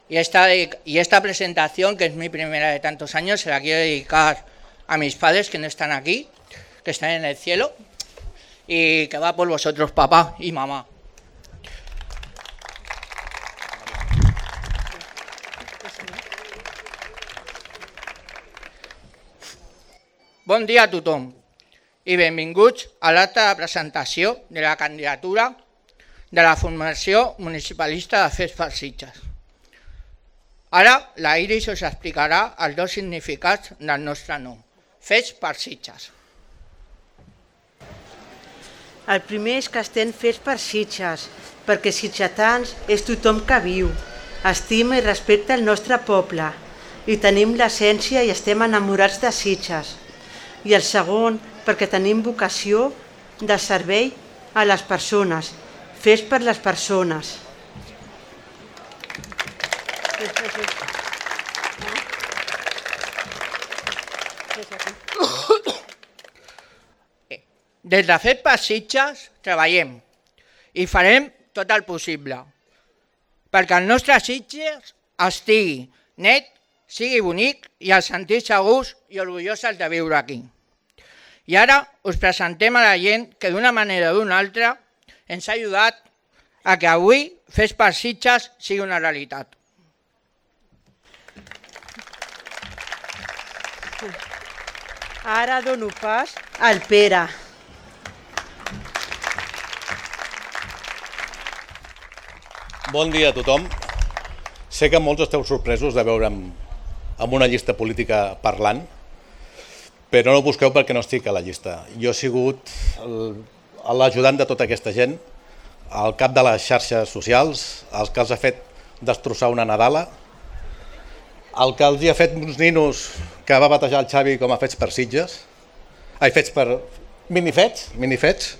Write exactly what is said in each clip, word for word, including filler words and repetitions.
Y esta, y esta presentación, que es mi primera de tantos años, se la quiero dedicar a mis padres que no están aquí, que están en el cielo, y que va por vosotros, papá y mamá. Bon dia a tothom i benvinguts a l'acte de presentació de la candidatura de la Formació Municipalista de Fets per Sitges. Ara la Iris us explicarà els dos significats del nostre nom, Fets per Sitges. El primer és que estem fets per Sitges, perquè sitgetans és tothom que viu, estima i respecta el nostre poble, i tenim l'essència i estem enamorats de Sitges. I el segon, perquè tenim vocació de servei a les persones, fets per les persones. Des de Fets per Sitges treballem i farem tot el possible perquè el nostre Sitges estigui net, sigui bonic i ens sentim segurs i orgullosos de viure aquí. I ara us presentem a la gent que d'una manera o d'una altra ens ha ajudat a que avui Fets per Sitges sigui una realitat. Ara dono pas al Pere. Bon dia a tothom. Sé que molts esteu sorpresos de veure'm amb una llista política parlant, però no busqueu perquè no estic a la llista. Jo he sigut l'ajudant de tota aquesta gent, el cap de les xarxes socials, el que els ha fet destrossar una Nadala, el que els ha fet uns ninos que va batejar el Xavi com a Fets per Sitges, ai, Fets per... minifets, minifets,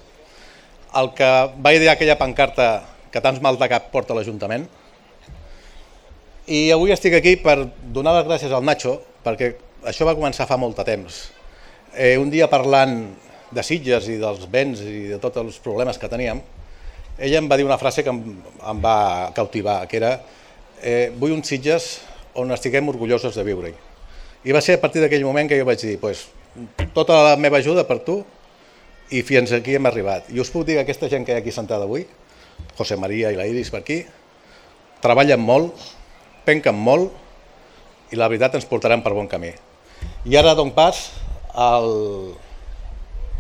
el que va idear aquella pancarta que tants mal de cap porta l'Ajuntament. I avui estic aquí per donar les gràcies al Nacho, perquè això va començar fa molt de temps. Eh, un dia parlant de Sitges i dels béns i de tots els problemes que teníem, ella em va dir una frase que em, em va cautivar, que era eh, vull un Sitges on estiguem orgullosos de viure-hi. I va ser a partir d'aquell moment que jo vaig dir pues, tota la meva ajuda per tu i fins aquí hem arribat. I us puc dir que aquesta gent que hi ha aquí sentada avui, José María i la Iris per aquí, treballen molt, penquen molt i la veritat ens portaran per bon camí. I ara dono pas al,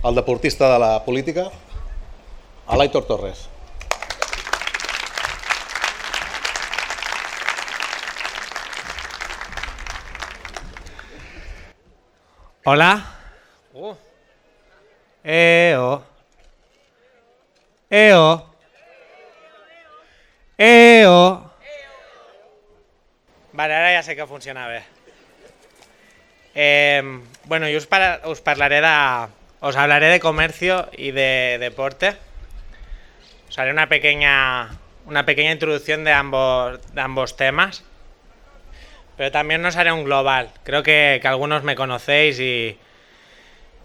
al deportista de la política, a l'Aitor Torres. Hola. Uh. Eo. Eo. Eo. Vale, ara ja sé que funciona bé. Eh, bueno, yo os, para, os hablaré de, os hablaré de comercio y de deporte. Os haré una pequeña, una pequeña introducción de ambos, de ambos temas. Pero también os haré un global. Creo que, que algunos me conocéis y,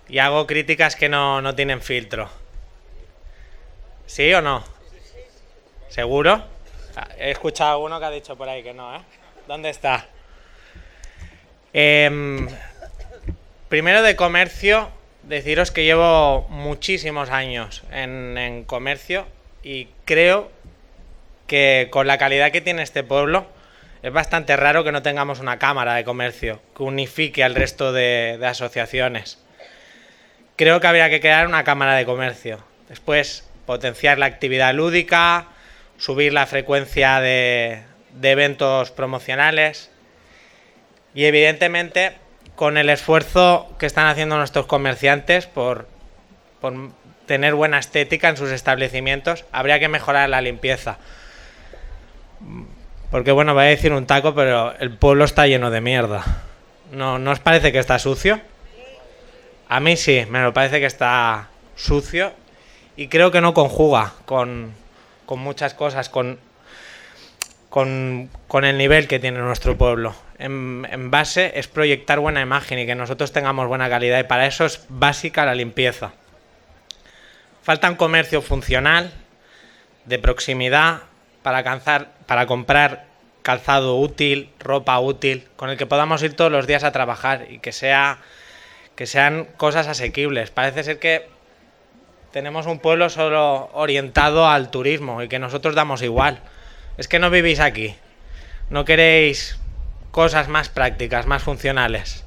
y hago críticas que no, no tienen filtro. ¿Sí o no? ¿Seguro? He escuchado a uno que ha dicho por ahí que no, ¿eh? ¿Dónde está? Eh, primero de comercio, deciros que llevo muchísimos años en, en comercio y creo que con la calidad que tiene este pueblo es bastante raro que no tengamos una cámara de comercio que unifique al resto de, de asociaciones. Creo que habría que crear una cámara de comercio. Después, potenciar la actividad lúdica, subir la frecuencia de, de eventos promocionales y evidentemente con el esfuerzo que están haciendo nuestros comerciantes por, por tener buena estética en sus establecimientos, habría que mejorar la limpieza. Porque bueno, voy a decir un taco, pero el pueblo está lleno de mierda. ¿No, ¿no os parece que está sucio? A mí sí, me lo parece que está sucio y creo que no conjuga con, con muchas cosas, con, con, con el nivel que tiene nuestro pueblo. En, en base es proyectar buena imagen y que nosotros tengamos buena calidad y para eso es básica la limpieza. Falta un comercio funcional, de proximidad, para, alcanzar, para comprar calzado útil, ropa útil, con el que podamos ir todos los días a trabajar y que sea, que sean cosas asequibles. Parece ser que tenemos un pueblo solo orientado al turismo y que nosotros damos igual. Es que no vivís aquí, no queréis cosas más prácticas, más funcionales.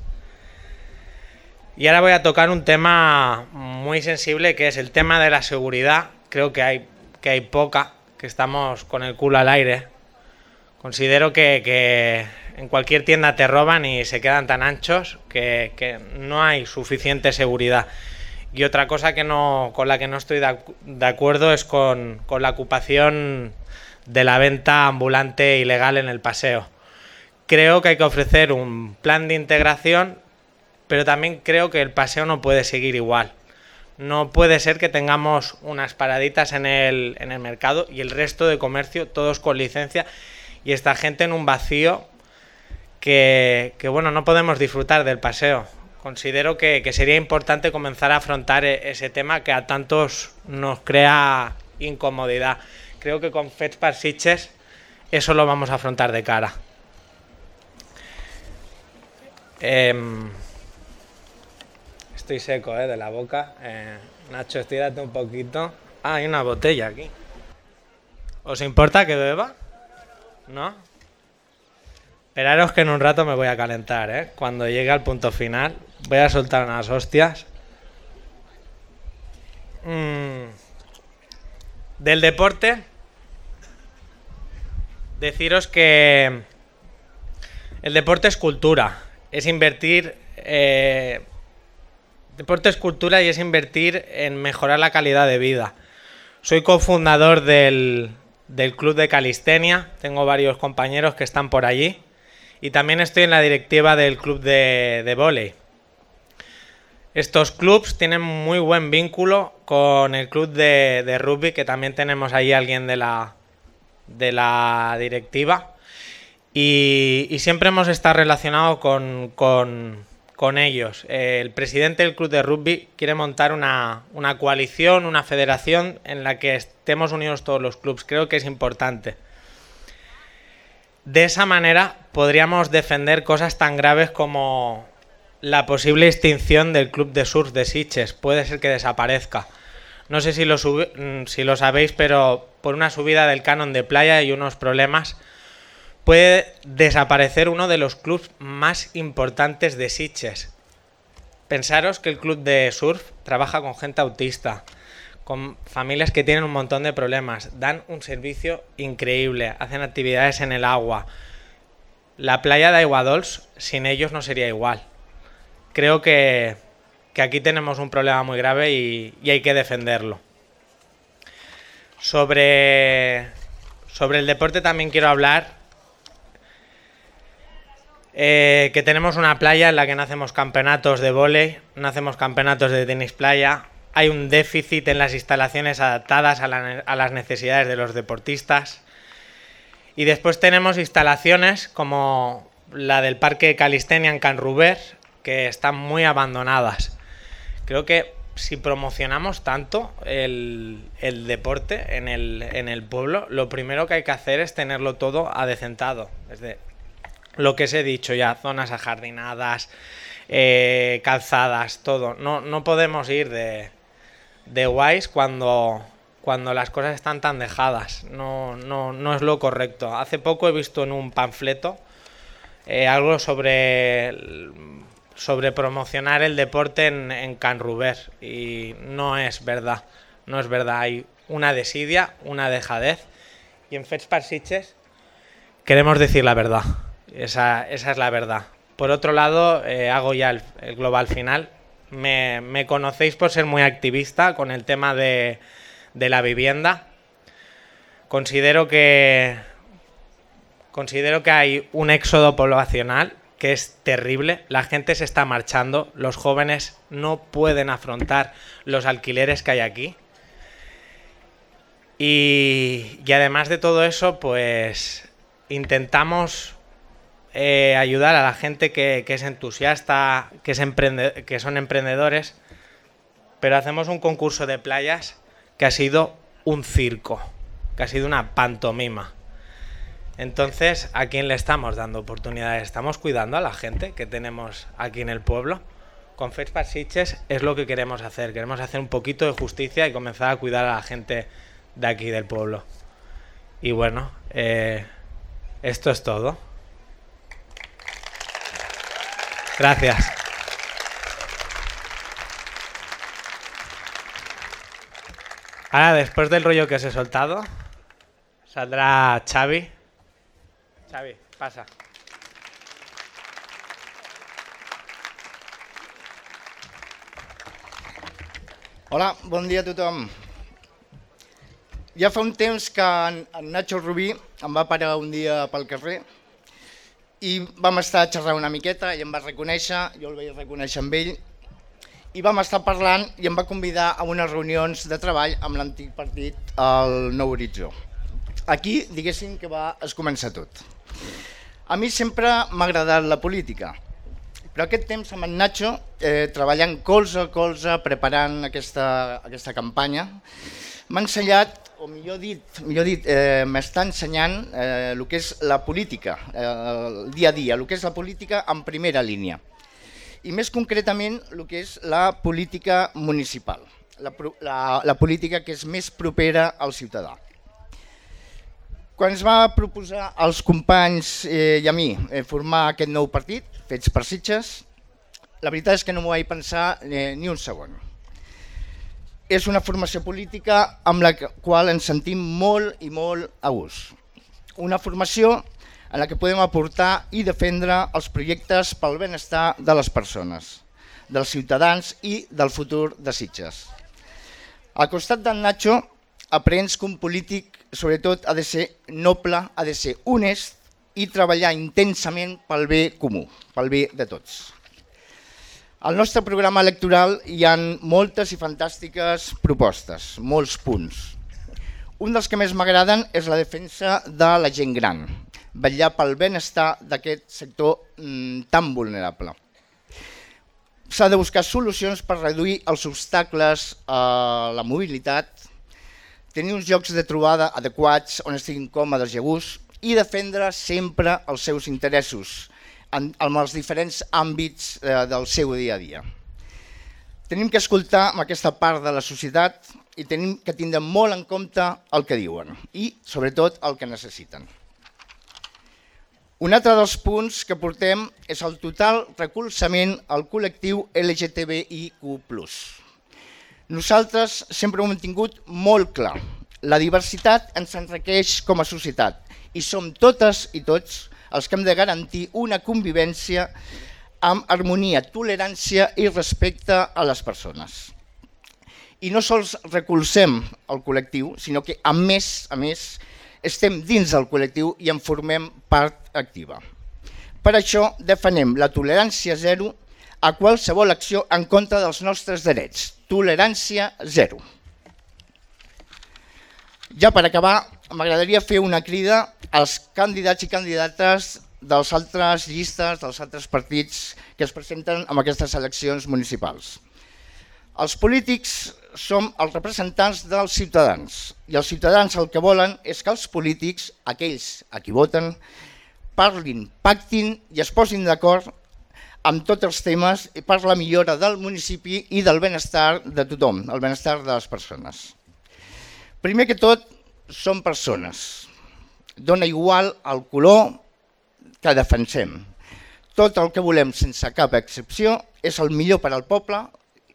Y ahora voy a tocar un tema muy sensible, que es el tema de la seguridad. Creo que hay, que hay poca, que estamos con el culo al aire. Considero que, que en cualquier tienda te roban y se quedan tan anchos que, que no hay suficiente seguridad. Y otra cosa que no, con la que no estoy de, de acuerdo es con, con la ocupación de la venta ambulante ilegal en el paseo. Creo que hay que ofrecer un plan de integración, pero también creo que el paseo no puede seguir igual. No puede ser que tengamos unas paraditas en el, en el mercado y el resto de comercio, todos con licencia, y esta gente en un vacío que, que bueno, no podemos disfrutar del paseo. Considero que, que sería importante comenzar a afrontar ese tema que a tantos nos crea incomodidad. Creo que con Fets per Sitges eso lo vamos a afrontar de cara. Eh, estoy seco eh, de la boca. Eh, Nacho, estírate un poquito. Ah, hay una botella aquí. ¿Os importa que beba? ¿No? Esperaros que en un rato me voy a calentar, ¿eh? Cuando llegue al punto final voy a soltar unas hostias. Mm. Del deporte, deciros que el deporte es cultura, es invertir... Eh, deporte es cultura y es invertir en mejorar la calidad de vida. Soy cofundador del, del club de calistenia, tengo varios compañeros que están por allí. Y también estoy en la directiva del club de, de vóley. Estos clubs tienen muy buen vínculo con el club de, de rugby, que también tenemos ahí alguien de la, de la directiva. Y, y siempre hemos estado relacionados con, con, con ellos. El presidente del club de rugby quiere montar una, una coalición, una federación en la que estemos unidos todos los clubs. Creo que es importante. De esa manera podríamos defender cosas tan graves como la posible extinción del club de surf de Sitges. Puede ser que desaparezca. No sé si lo, si lo sabéis, pero por una subida del canon de playa y unos problemas puede desaparecer uno de los clubs más importantes de Sitges. Pensaros que el club de surf trabaja con gente autista, con familias que tienen un montón de problemas, dan un servicio increíble, hacen actividades en el agua. La playa de Aiguadols sin ellos no sería igual. Creo que, que aquí tenemos un problema muy grave y, y hay que defenderlo. Sobre, sobre el deporte también quiero hablar, eh, que tenemos una playa en la que no hacemos campeonatos de vóley, no hacemos campeonatos de tenis playa. Hay un déficit en las instalaciones adaptadas a, la, a las necesidades de los deportistas. Y después tenemos instalaciones como la del Parque Calistenia en Can Ruber, que están muy abandonadas. Creo que si promocionamos tanto el, el deporte en el, en el pueblo, lo primero que hay que hacer es tenerlo todo adecentado. Desde lo que os he dicho ya, zonas ajardinadas, eh, calzadas, todo. No, no podemos ir de... de guays cuando, cuando las cosas están tan dejadas. No, no, no es lo correcto. Hace poco he visto en un panfleto eh, algo sobre, sobre promocionar el deporte en, en Can Ruber y no es verdad. No es verdad. Hay una desidia, una dejadez y en Fets per Sitges queremos decir la verdad. Esa, esa es la verdad. Por otro lado, eh, hago ya el, el global final. Me, me conocéis por ser muy activista con el tema de, de la vivienda. Considero que, considero que hay un éxodo poblacional que es terrible. La gente se está marchando. Los jóvenes no pueden afrontar los alquileres que hay aquí. Y, y además de todo eso, pues intentamos... Eh, ayudar a la gente que, que es entusiasta, que, es emprende, que son emprendedores, pero hacemos un concurso de playas que ha sido un circo, que ha sido una pantomima. Entonces, ¿a quién le estamos dando oportunidades? ¿Estamos cuidando a la gente que tenemos aquí en el pueblo? Con Fets per Sitges es lo que queremos hacer. Queremos hacer un poquito de justicia y comenzar a cuidar a la gente de aquí del pueblo. Y bueno, eh, esto es todo. Gracias. Ahora, después del rollo que os he soltado, saldrá Xavi. Xavi, pasa. Hola, bon dia a tothom. Ja fa un temps que en, en Nacho Rubí em va parar un dia pel carrer i vam estar xerrant una miqueta i em va reconèixer, jo el vaig reconèixer amb ell, i vam estar parlant i em va convidar a unes reunions de treball amb l'antic partit, el Nou Horitzó. Aquí, diguéssim que va es començar tot. A mi sempre m'ha agradat la política, però aquest temps amb en Nacho, eh, treballant colze a colze, preparant aquesta, aquesta campanya, m'ha ensenyat, o millor dit, millor dit eh, m'està ensenyant eh, el que és la política, eh, el dia a dia, el que és la política en primera línia. I més concretament el que és la política municipal, la, la, la política que és més propera al ciutadà. Quan ens va proposar als companys eh, i a mi eh, formar aquest nou partit, Fets per Sitges, la veritat és que no m'ho vaig pensar eh, ni un segon. És una formació política amb la qual ens sentim molt i molt a gust. Una formació en la que podem aportar i defendre els projectes pel benestar de les persones, dels ciutadans i del futur de Sitges. Al costat d'en Nacho aprens que un polític sobretot ha de ser noble, ha de ser honest i treballar intensament pel bé comú, pel bé de tots. Al nostre programa electoral hi ha moltes i fantàstiques propostes, molts punts. Un dels que més m'agraden és la defensa de la gent gran, vetllar pel benestar d'aquest sector mm, tan vulnerable. S'ha de buscar solucions per reduir els obstacles a la mobilitat, tenir uns llocs de trobada adequats on estiguin còmodes i a gust i defendre sempre els seus interessos en, en els diferents àmbits eh, del seu dia a dia. Tenim que escoltar amb aquesta part de la societat i tenim que tindre molt en compte el que diuen i, sobretot, el que necessiten. Un altre dels punts que portem és el total recolzament al col·lectiu L G T B I Q plus. Nosaltres sempre ho hem tingut molt clar. La diversitat ens enriqueix com a societat i som totes i tots els que hem de garantir una convivència amb harmonia, tolerància i respecte a les persones. I no sols recolzem el col·lectiu, sinó que a més a més estem dins del col·lectiu i en formem part activa. Per això defensem la tolerància zero a qualsevol acció en contra dels nostres drets. Tolerància zero. Ja per acabar, m'agradaria fer una crida als candidats i candidates dels altres llistes, dels altres partits que es presenten en aquestes eleccions municipals. Els polítics som els representants dels ciutadans i els ciutadans el que volen és que els polítics, aquells a qui voten, parlin, pactin i es posin d'acord amb tots els temes per la millora del municipi i del benestar de tothom, el benestar de les persones. Primer que tot, som persones. Dona igual el color que defensem. Tot el que volem, sense cap excepció, és el millor per al poble,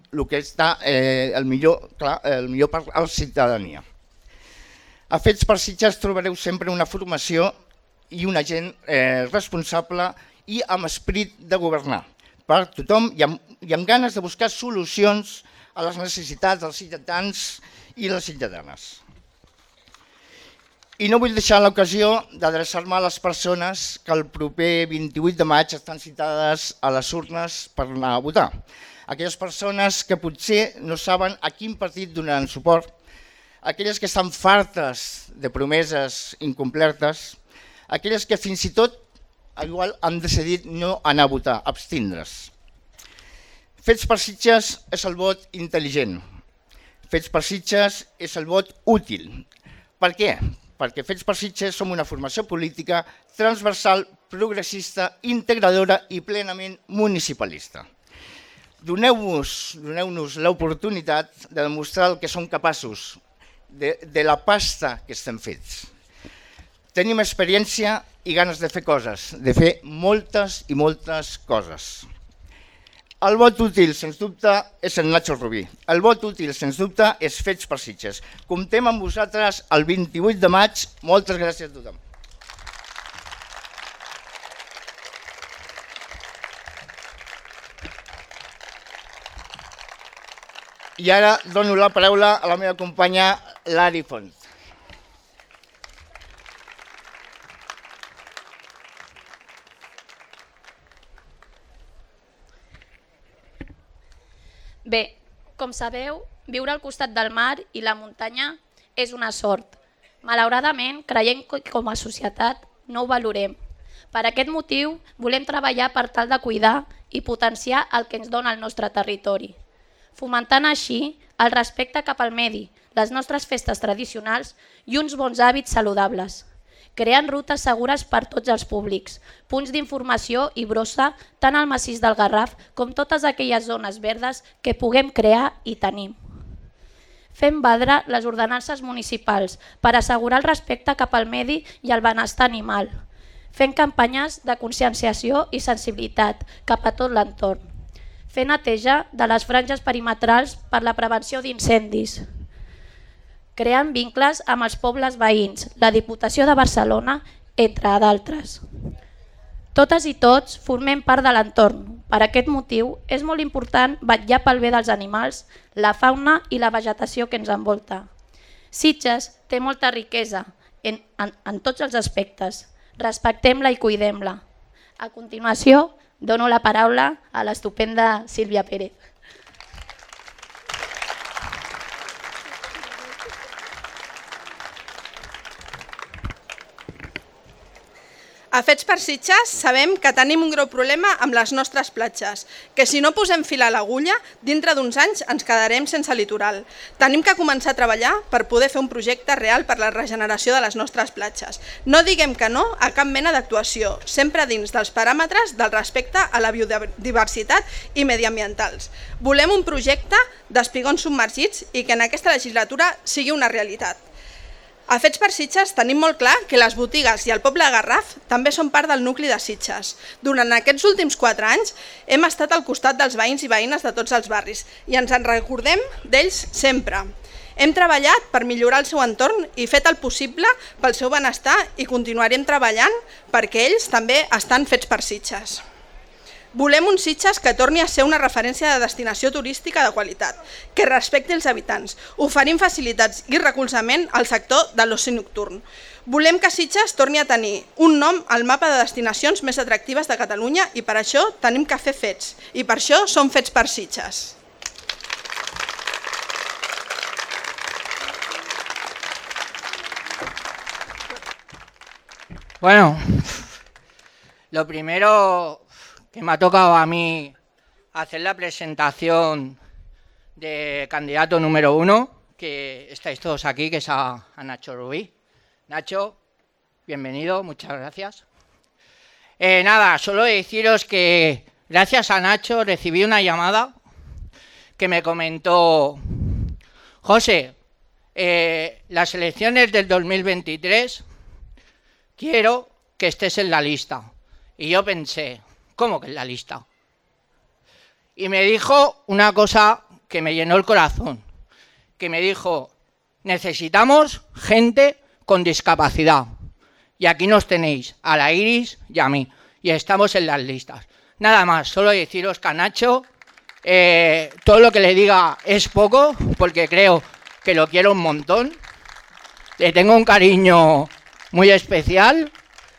el que està eh, el, millor, clar, el millor per a la ciutadania. A Fets per Sitges trobareu sempre una formació i una gent eh, responsable i amb esperit de governar per tothom i amb, i amb ganes de buscar solucions a les necessitats dels ciutadans i les ciutadanes. I no vull deixar l'ocasió d'adreçar-me a les persones que el proper vint-i-vuit de maig estan citades a les urnes per anar a votar. Aquelles persones que potser no saben a quin partit donaran suport, aquelles que estan fartes de promeses incomplertes, aquelles que fins i tot igual han decidit no anar a votar, abstindre's. Fets per Sitges és el vot intel·ligent. Fets per Sitges és el vot útil. Per què? perquè Fets per Sitges som una formació política transversal, progressista, integradora i plenament municipalista. Doneu-nos doneu-nos l'oportunitat de demostrar el que som capaços de, de la pasta que estem fets. Tenim experiència i ganes de fer coses, de fer moltes i moltes coses. El vot útil, sens dubte, és el Nacho Rubí. El vot útil, sens dubte, és Fets per Sitges. Comptem amb vosaltres el vint-i-vuit de maig. Moltes gràcies a tothom. I ara dono la paraula a la meva companya Lari Font. Bé, com sabeu, viure al costat del mar i la muntanya és una sort. Malauradament, creiem que com a societat no ho valorem. Per aquest motiu, volem treballar per tal de cuidar i potenciar el que ens dona el nostre territori, fomentant així el respecte cap al medi, les nostres festes tradicionals i uns bons hàbits saludables, creant rutes segures per tots els públics, punts d'informació i brossa tant al massís del Garraf com totes aquelles zones verdes que puguem crear i tenim. Fem valdre les ordenances municipals per assegurar el respecte cap al medi i el benestar animal, fent campanyes de conscienciació i sensibilitat cap a tot l'entorn, fer neteja de les franges perimetrals per la prevenció d'incendis, creant vincles amb els pobles veïns, la Diputació de Barcelona, entre d'altres. Totes i tots formem part de l'entorn. Per aquest motiu, és molt important vetllar pel bé dels animals, la fauna i la vegetació que ens envolta. Sitges té molta riquesa en, en, en tots els aspectes. Respectem-la i cuidem-la. A continuació, dono la paraula a l'estupenda Sílvia Pérez. A Fets per Sitges sabem que tenim un greu problema amb les nostres platges, que si no posem fil a l'agulla, dintre d'uns anys ens quedarem sense litoral. Tenim que començar a treballar per poder fer un projecte real per la regeneració de les nostres platges. No diguem que no a cap mena d'actuació, sempre dins dels paràmetres del respecte a la biodiversitat i mediambientals. Volem un projecte d'espigons submergits i que en aquesta legislatura sigui una realitat. A Fets per Sitges tenim molt clar que les botigues i el poble de Garraf també són part del nucli de Sitges. Durant aquests últims quatre anys hem estat al costat dels veïns i veïnes de tots els barris i ens en recordem d'ells sempre. Hem treballat per millorar el seu entorn i fet el possible pel seu benestar i continuarem treballant perquè ells també estan fets per Sitges. Volem un Sitges que torni a ser una referència de destinació turística de qualitat, que respecti els habitants, oferint facilitats i recolzament al sector de l'oci nocturn. Volem que Sitges torni a tenir un nom al mapa de destinacions més atractives de Catalunya i per això tenim que fer fets, i per això som Fets per Sitges. Bueno, lo primero que me ha tocado a mí hacer la presentación de candidato número uno, que estáis todos aquí, que es a, a Nacho Rubí. Nacho, bienvenido, muchas gracias. Eh, nada, solo deciros que gracias a Nacho recibí una llamada que me comentó: José, eh, las elecciones del dos mil veintitrés quiero que estés en la lista. Y yo pensé, ¿cómo que en la lista? Y me dijo una cosa que me llenó el corazón, que me dijo: necesitamos gente con discapacidad. Y aquí nos tenéis, a la Iris y a mí, y estamos en las listas. Nada más, solo deciros que a Nacho eh, todo lo que le diga es poco, porque creo que lo quiero un montón. Le tengo un cariño muy especial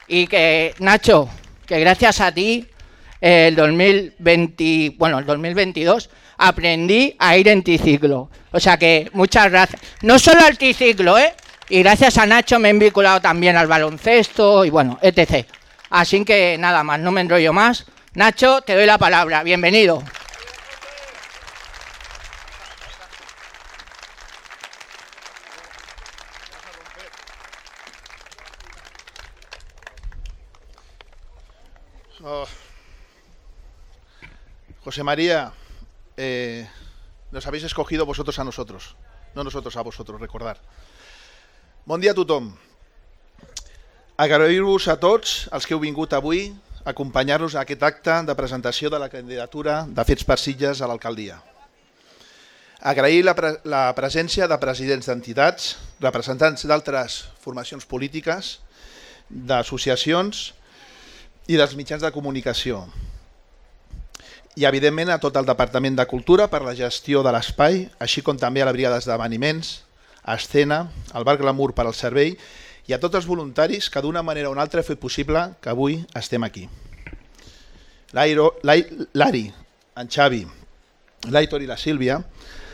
y que, Nacho, que gracias a ti el dos mil veinte, bueno, el dos mil veintidós aprendí a ir en triciclo. O sea que muchas gracias. No solo al triciclo, ¿eh? Y gracias a Nacho me he vinculado también al baloncesto y bueno, etcétera. Así que nada más, no me enrollo más. Nacho, te doy la palabra. Bienvenido. Oh. José María, eh, nos habéis escogido vosotros a nosotros, no nosotros a vosotros, recordar. Bon dia a tothom. Agrair-vos a tots els que heu vingut avui a acompanyar-nos a aquest acte de presentació de la candidatura de Fets per Sitges a l'alcaldia. Agrair la, pre la presència de presidents d'entitats, representants d'altres formacions polítiques, d'associacions i dels mitjans de comunicació. I, evidentment, a tot el Departament de Cultura per la gestió de l'espai, així com també a la Brigada d'Esdeveniments, a Escena, al Bar Glamour per al servei i a tots els voluntaris que d'una manera o una altra heu fet possible que avui estem aquí. L'Ari, en Xavi, l'Aitor i la Sílvia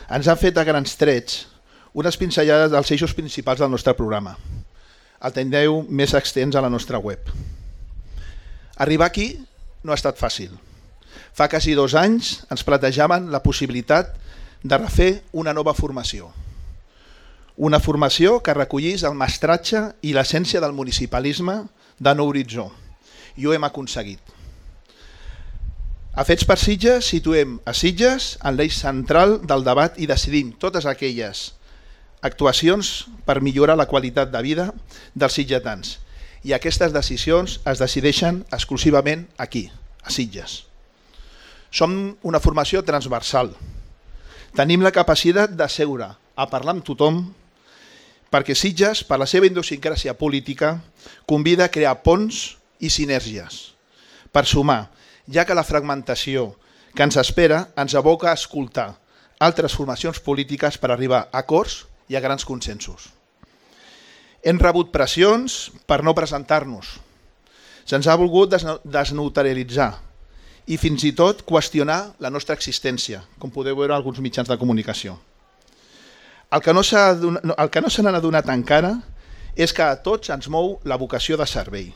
ens han fet a grans trets unes pinzellades dels eixos principals del nostre programa. El tindreu més extens a la nostra web. Arribar aquí no ha estat fàcil. Fa quasi dos anys ens plantejaven la possibilitat de refer una nova formació. Una formació que recollís el mestratge i l'essència del municipalisme de Nou Horitzó. I ho hem aconseguit. A Fets per Sitges situem a Sitges en l'eix central del debat i decidim totes aquelles actuacions per millorar la qualitat de vida dels sitgetans. I aquestes decisions es decideixen exclusivament aquí, a Sitges. Som una formació transversal. Tenim la capacitat de seure a parlar amb tothom perquè Sitges, per la seva idiosincràsia política, convida a crear ponts i sinergies per sumar, ja que la fragmentació que ens espera ens aboca a escoltar altres formacions polítiques per arribar a acords i a grans consensos. Hem rebut pressions per no presentar-nos. Se'ns ha volgut desneutralitzar i fins i tot qüestionar la nostra existència, com podeu veure en alguns mitjans de comunicació. El que no se n'han adonat encara és que a tots ens mou la vocació de servei,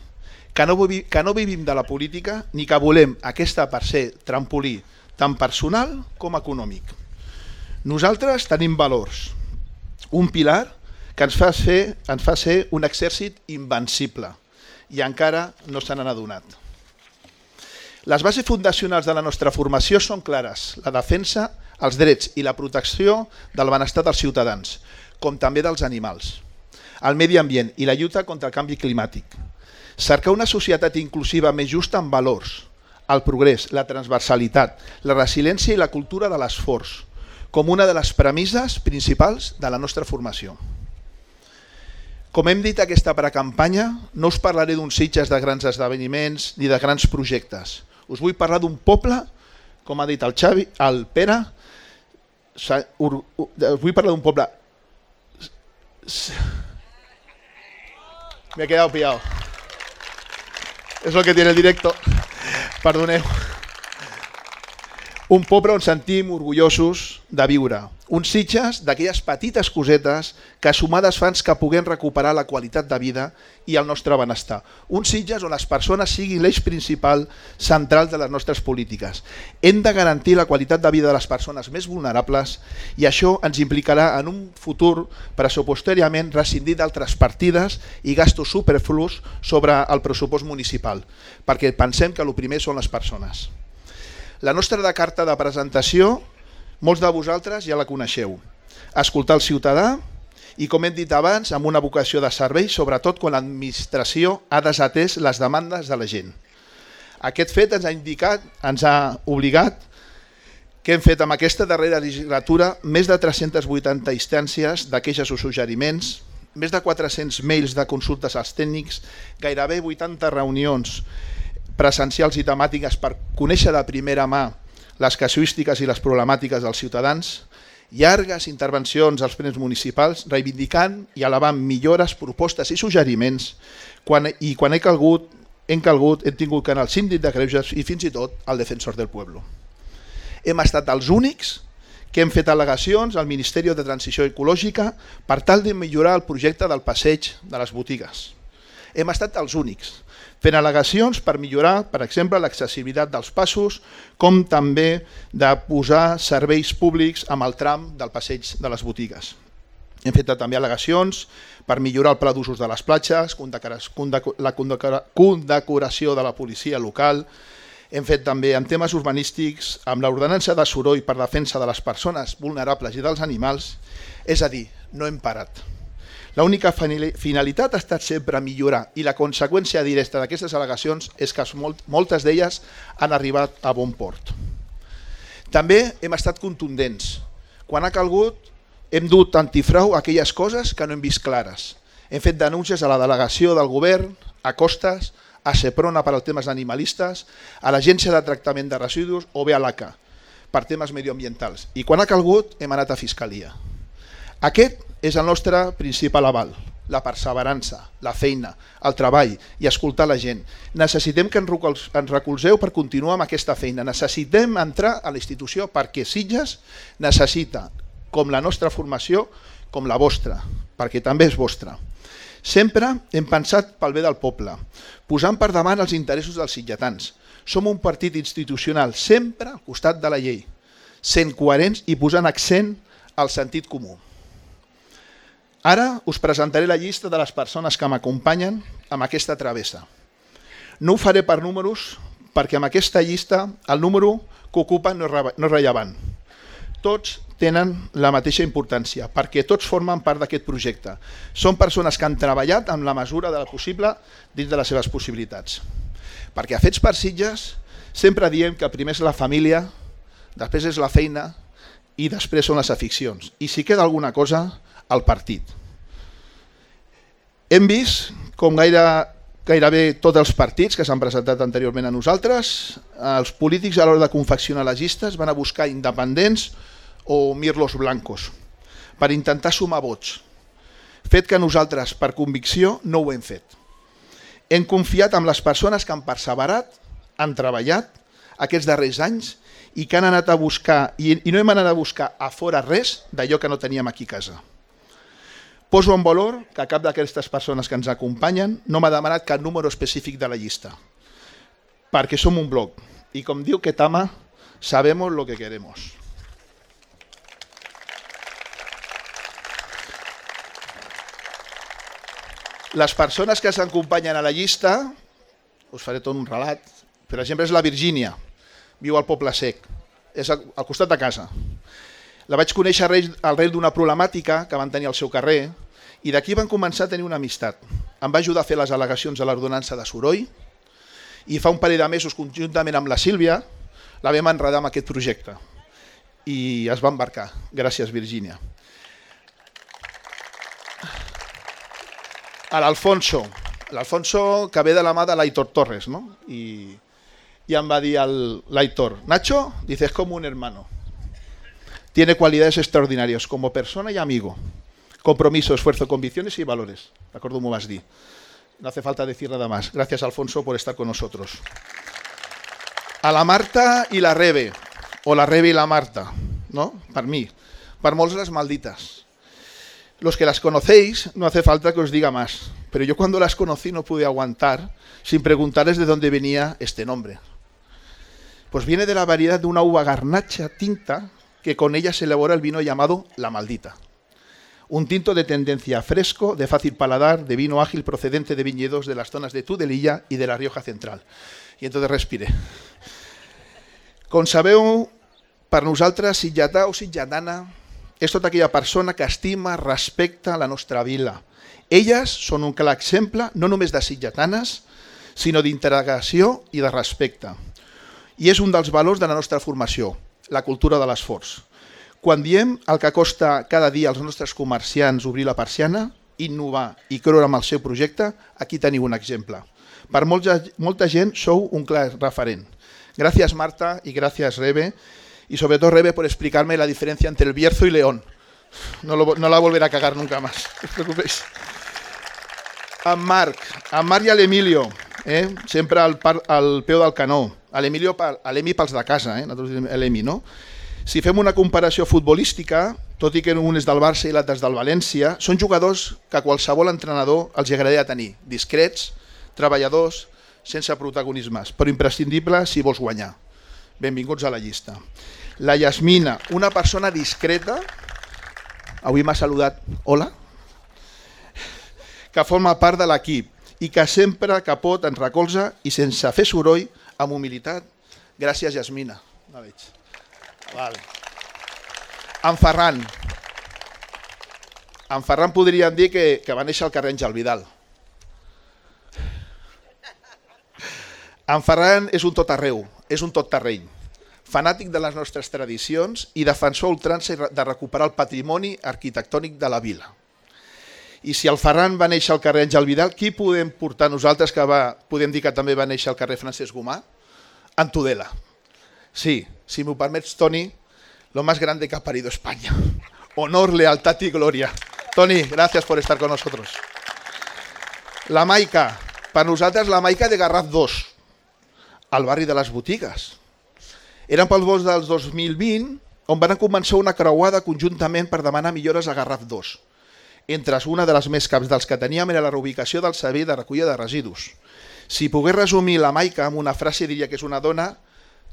que no, que no vivim de la política ni que volem aquesta per ser trampolí tant personal com econòmic. Nosaltres tenim valors, un pilar que ens fa ser, ens fa ser un exèrcit invencible i encara no se n'han adonat. Les bases fundacionals de la nostra formació són clares, la defensa, els drets i la protecció del benestar dels ciutadans, com també dels animals, el medi ambient i la lluita contra el canvi climàtic. Cercar una societat inclusiva més justa amb valors, el progrés, la transversalitat, la resiliència i la cultura de l'esforç, com una de les premisses principals de la nostra formació. Com hem dit aquesta precampanya, no us parlaré d'uns Sitges de grans esdeveniments ni de grans projectes. Us vull parlar d'un poble, com ha dit el Xavi, el Pere, us vull parlar d'un poble... Me he quedado pillado. Es lo que tiene el directo. Perdoneu. Un poble on sentim orgullosos de viure. Uns Sitges d'aquelles petites cosetes que sumades fan que puguem recuperar la qualitat de vida i el nostre benestar. Uns Sitges on les persones siguin l'eix principal central de les nostres polítiques. Hem de garantir la qualitat de vida de les persones més vulnerables i això ens implicarà en un futur pressupostàriament rescindir d'altres partides i gastos superflus sobre el pressupost municipal, perquè pensem que el primer són les persones. La nostra de carta de presentació, molts de vosaltres ja la coneixeu. Escoltar el ciutadà i, com hem dit abans, amb una vocació de servei, sobretot quan l'administració ha desatès les demandes de la gent. Aquest fet ens ha indicat, ens ha obligat que hem fet amb aquesta darrera legislatura més de tres-centes vuitanta instàncies de queixes o suggeriments, més de quatre-cents mails de consultes als tècnics, gairebé vuitanta reunions presencials i temàtiques per conèixer de primera mà les casuístiques i les problemàtiques dels ciutadans, llargues intervencions als plens municipals reivindicant i elevant millores, propostes i suggeriments quan, i quan he calgut, hem calgut, hem tingut que anar al síndic de Greuges i fins i tot al defensor del pueblo. Hem estat els únics que hem fet al·legacions al Ministeri de Transició Ecològica per tal de millorar el projecte del passeig de les botigues. Hem estat els únics, fent al·legacions per millorar, per exemple, l'accessibilitat dels passos, com també de posar serveis públics amb el tram del passeig de les botigues. Hem fet també al·legacions per millorar el pla d'usos de les platges, la condecoració de la policia local. Hem fet també en temes urbanístics, amb l'ordenança de soroll per defensa de les persones vulnerables i dels animals. És a dir, no hem parat. L'única finalitat ha estat sempre millorar i la conseqüència directa d'aquestes al·legacions és que moltes d'elles han arribat a bon port. També hem estat contundents. Quan ha calgut, hem dut antifrau a aquelles coses que no hem vist clares. Hem fet denúncies a la delegació del govern, a Costes, a Seprona per als temes animalistes, a l'Agència de Tractament de Residus o bé a l'A C A per temes medioambientals. I quan ha calgut, hem anat a Fiscalia. Aquest és el nostre principal aval, la perseverança, la feina, el treball i escoltar la gent. Necessitem que ens recolzeu per continuar amb aquesta feina. Necessitem entrar a la institució perquè Sitges necessita, com la nostra formació, com la vostra, perquè també és vostra. Sempre hem pensat pel bé del poble, posant per davant els interessos dels sitgetans. Som un partit institucional sempre al costat de la llei, sent coherents i posant accent al sentit comú. Ara us presentaré la llista de les persones que m'acompanyen amb aquesta travessa. No ho faré per números, perquè amb aquesta llista el número que ocupa no és rellevant. Tots tenen la mateixa importància, perquè tots formen part d'aquest projecte. Són persones que han treballat amb la mesura del possible dins de les seves possibilitats. Perquè a Fets per Sitges sempre diem que primer és la família, després és la feina i després són les aficions. I si queda alguna cosa, el partit. Hem vist com gaire, gairebé tots els partits que s'han presentat anteriorment a nosaltres, els polítics a l'hora de confeccionar les llistes van a buscar independents o mirlos blancos per intentar sumar vots, fet que nosaltres per convicció no ho hem fet. Hem confiat en les persones que han perseverat, han treballat aquests darrers anys i que han anat a buscar, i no hem anat a buscar a fora res d'allò que no teníem aquí a casa. Poso en valor que cap d'aquestes persones que ens acompanyen no m'ha demanat cap número específic de la llista, perquè som un bloc i com diu Ketama, sabemos lo que queremos. Les persones que s'acompanyen a la llista, us faré tot un relat, per exemple és la Virgínia, viu al Poble Sec, és al costat de casa. La vaig conèixer al rei d'una problemàtica que van tenir al seu carrer i d'aquí van començar a tenir una amistat. Em va ajudar a fer les al·legacions a l'ordenança de soroll i fa un parell de mesos, conjuntament amb la Sílvia, la vam enredar amb aquest projecte i es va embarcar. Gràcies, Virgínia. A l'Alfonso, l'Alfonso que ve de la mà de l'Aitor Torres, ¿no? I, i em va dir l'Aitor, Nacho, dices como un hermano. Tiene cualidades extraordinarias como persona y amigo. Compromiso, esfuerzo, convicciones y valores. ¿De acuerdo? ¿Cómo vas a decir? No hace falta decir nada más. Gracias, Alfonso, por estar con nosotros. A la Marta i la Rebe, o la Rebe i la Marta, ¿no? Per mi. Per molts les malditas. Los que las conocéis, no hace falta que os diga más, pero yo cuando las conocí no pude aguantar sin preguntarles de dónde venía este nombre. Pues viene de la variedad de una uva garnacha tinta que con ella se elabora el vino llamado La Maldita. Un tinto de tendencia fresco, de fácil paladar, de vino ágil procedente de viñedos de las zonas de Tudelilla y de la Rioja Central. I entonces respiré. Com sabeu, per nosaltres, sitgetà o sitgetana és tota aquella persona que estima, respecta la nostra vila. Elles són un clar exemple no només de sitgetanes, sinó d'integració i de respecte. I és un dels valors de la nostra formació, la cultura de l'esforç. Quan diem el que costa cada dia als nostres comerciants obrir la persiana, innovar i creure en el seu projecte, aquí teniu un exemple. Per molta, molta gent sou un clar referent. Gràcies, Marta, i gràcies, Rebe, y sobre todo, Rebe, por explicarme la diferencia entre el Bierzo y León. No, lo, no la volveré a cagar nunca más, no os preocupéis. A Marc, a Marc i a l'Emilio, eh? sempre al, par, al peu del canó. A l'Emilio, a l'Emi pels de casa, eh? nosaltres diem l'Emi, no? Si fem una comparació futbolística, tot i que un és del Barça i l'altre és del València, són jugadors que qualsevol entrenador els agradaria tenir, discrets, treballadors, sense protagonismes, però imprescindibles si vols guanyar. Benvinguts a la llista. La Yasmina, una persona discreta, avui m'ha saludat, hola, que forma part de l'equip i que sempre que pot ens recolza i sense fer soroll, amb humilitat. Gràcies, Yasmina. No veig. Vale. En Ferran. En Ferran podríem dir que, que va néixer al carrer Àngel Vidal. En Ferran és un tot arreu, és un tot terreny. Fanàtic de les nostres tradicions i defensor ultrança de recuperar el patrimoni arquitectònic de la vila. I si el Ferran va néixer al carrer Àngel Vidal, qui podem portar nosaltres que va, podem dir que també va néixer al carrer Francesc Gomà? En Tudela. Sí, si m'ho permets, Toni, lo más grande que ha parido España. Honor, lealtad y gloria. Toni, gracias por estar con nosotros. La Maica, per nosaltres la Maica de Garraf dos, al barri de les botigues. Eren pel vots del dos mil vint, on van començar una creuada conjuntament per demanar millores a Garraf dos. Entre una de les més caps dels que teníem era la reubicació del servei de recollida de residus. Si pogués resumir la Maica amb una frase, diria que és una dona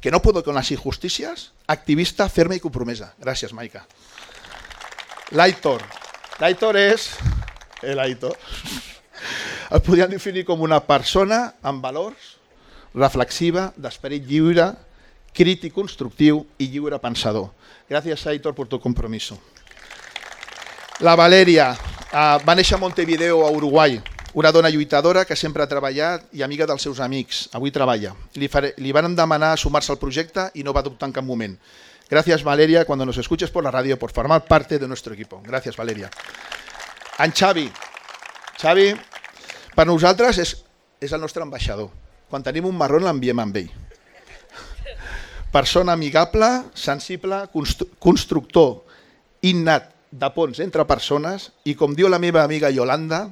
que no puedo con las injusticias, activista, ferma i compromesa. Gràcies, Maica. L'Aitor. L'Aitor és... L'Aitor. El podríem definir com una persona amb valors, reflexiva, d'esperit lliure, crític constructiu i lliure pensador. Gràcies, Aitor, per tu compromiso. La Valeria uh, va néixer a Montevideo, a Uruguai, una dona lluitadora que sempre ha treballat i amiga dels seus amics. Avui treballa. Li, faré, li van demanar sumar-se al projecte i no va dubtar en cap moment. Gracias, Valeria, cuando nos escuches por la radio, por formar parte de nuestro equipo. Gracias, Valeria. En Xavi. Xavi, per nosaltres, és, és el nostre ambaixador. Quan tenim un marró l'enviem amb ell. Persona amigable, sensible, constru constructor innat de ponts entre persones i, com diu la meva amiga Yolanda,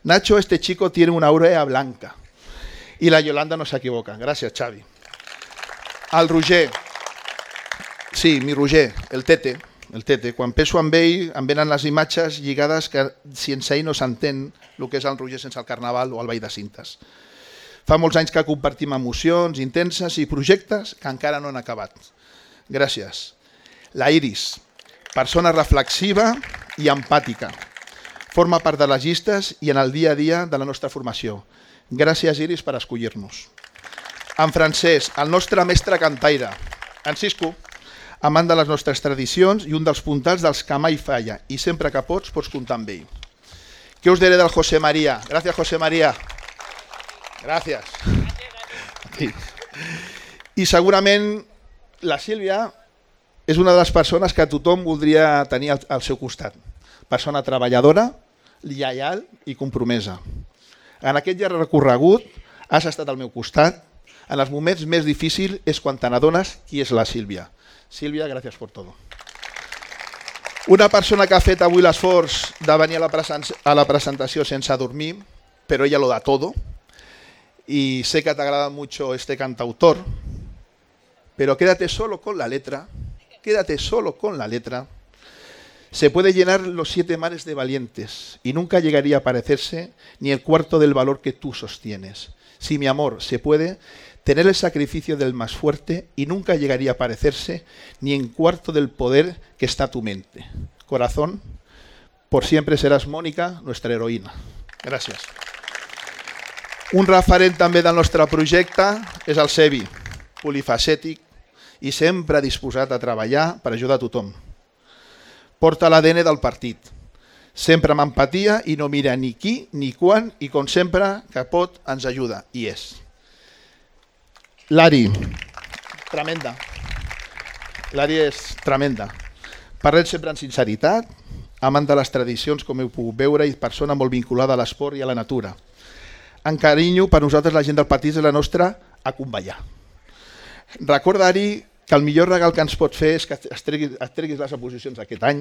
Nacho, este chico tiene una aurea blanca. I la Yolanda no s'equivoca. Gràcies, Xavi. El Roger. Sí, mi Roger, el Tete. El Tete. Quan penso en ell, em venen les imatges lligades que sense ell no s'entén el que és el Roger sense el Carnaval o el Ball de Cintes. Fa molts anys que compartim emocions intenses i projectes que encara no han acabat. Gràcies. La Iris, persona reflexiva i empàtica. Forma part de les llistes i en el dia a dia de la nostra formació. Gràcies, Iris, per escollir-nos. En Francesc, el nostre mestre cantaire. En Cisco, amant de les nostres tradicions i un dels puntals dels que mai falla i sempre que pots, pots comptar amb ell. Què us diré del José María? Gràcies, José María. Gràcies. I segurament la Sílvia és una de les persones que tothom voldria tenir al seu costat. Persona treballadora, lleial i compromesa. En aquest llarg recorregut has estat al meu costat. En els moments més difícils és quan te n'adones qui és la Sílvia. Sílvia, gràcies per tot. Una persona que ha fet avui l'esforç de venir a la, a la presentació sense dormir, però ella lo da todo. Y sé que te agrada mucho este cantautor, pero quédate solo con la letra, quédate solo con la letra. Se puede llenar los siete mares de valientes y nunca llegaría a parecerse ni el cuarto del valor que tú sostienes. Si mi amor se puede tener el sacrificio del más fuerte y nunca llegaría a parecerse ni en cuarto del poder que está tu mente. Corazón, por siempre serás Mónica, nuestra heroína. Gràcies. Un referent també del nostre projecte és el Sebi, polifacètic i sempre disposat a treballar per ajudar a tothom. Porta l'A D N del partit, sempre amb empatia i no mira ni qui ni quan i com sempre que pot ens ajuda, i és. L'Ari, tremenda. L'Ari és tremenda. Parlem sempre amb sinceritat, amant de les tradicions com heu pogut veure i persona molt vinculada a l'esport i a la natura. En carinyo, per nosaltres la gent del partit és la nostra a convallar. Recorda-hi que el millor regal que ens pot fer és que et treguis, et treguis les oposicions aquest any,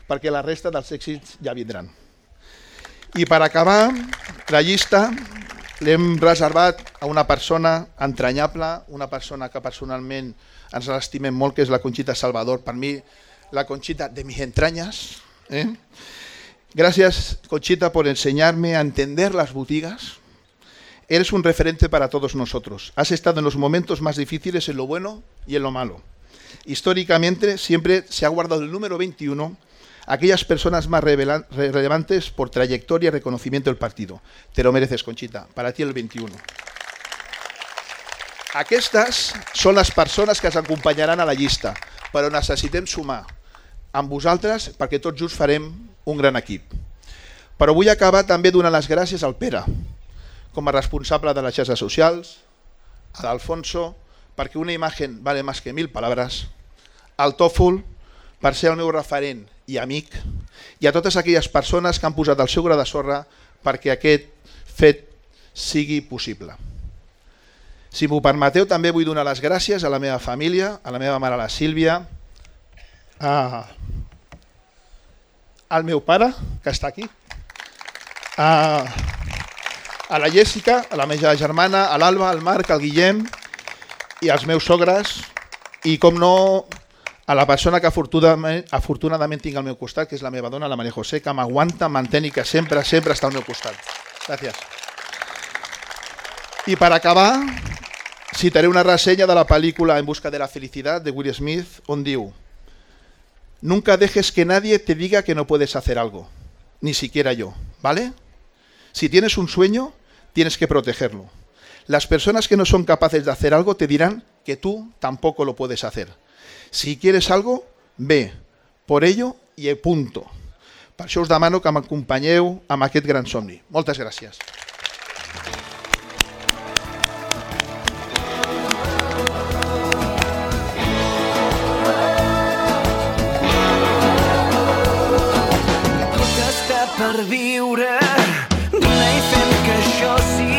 perquè la resta dels èxits ja vindran. I per acabar, la llista l'hem reservat a una persona entranyable, una persona que personalment ens l'estimem molt, que és la Conxita Salvador. Per mi, la Conxita de mis entrañas. ¿eh? Gracias, Conxita, por enseñarme a entender las boutigas. Eres un referente para todos nosotros. Has estado en los momentos más difíciles, en lo bueno y en lo malo. Históricamente siempre se ha guardado el número veintiuno aquellas personas más revela- relevantes por trayectoria y reconocimiento del partido. Te lo mereces, Conxita. Para ti el veintiuno. Aquestes són les persones que ens acompanyaran a la llista, però necessitem sumar amb vosaltres perquè tots junts farem un gran equip. Però vull acabar també donant les gràcies al Pere, com a responsable de les xarxes socials, a l'Alfonso, perquè una imatge vale més que mil paraules, al Tòfol, per ser el meu referent i amic, i a totes aquelles persones que han posat el seu gra de sorra perquè aquest fet sigui possible. Si m'ho permeteu, també vull donar les gràcies a la meva família, a la meva mare, la Sílvia, a, al meu pare, que està aquí, a, a la Jèssica, a la meva germana, a l'Alba, al Marc, al Guillem i als meus sogres i, com no, a la persona que afortunadament, afortunadament tinc al meu costat, que és la meva dona, la Maria José, que m'aguanta, m'entén i que sempre, sempre està al meu costat. Gràcies. I per acabar, citaré una reseña de la película En busca de la felicidad de Will Smith, on diu: nunca dejes que nadie te diga que no puedes hacer algo, ni siquiera yo, ¿vale? Si tienes un sueño, tienes que protegerlo. Las personas que no son capaces de hacer algo te dirán que tú tampoco lo puedes hacer. Si quieres algo, ve por ello i punto. Per això us demano que m'acompanyeu amb aquest gran somni. Moltes gràcies. Per viure, dona i fem que això sigui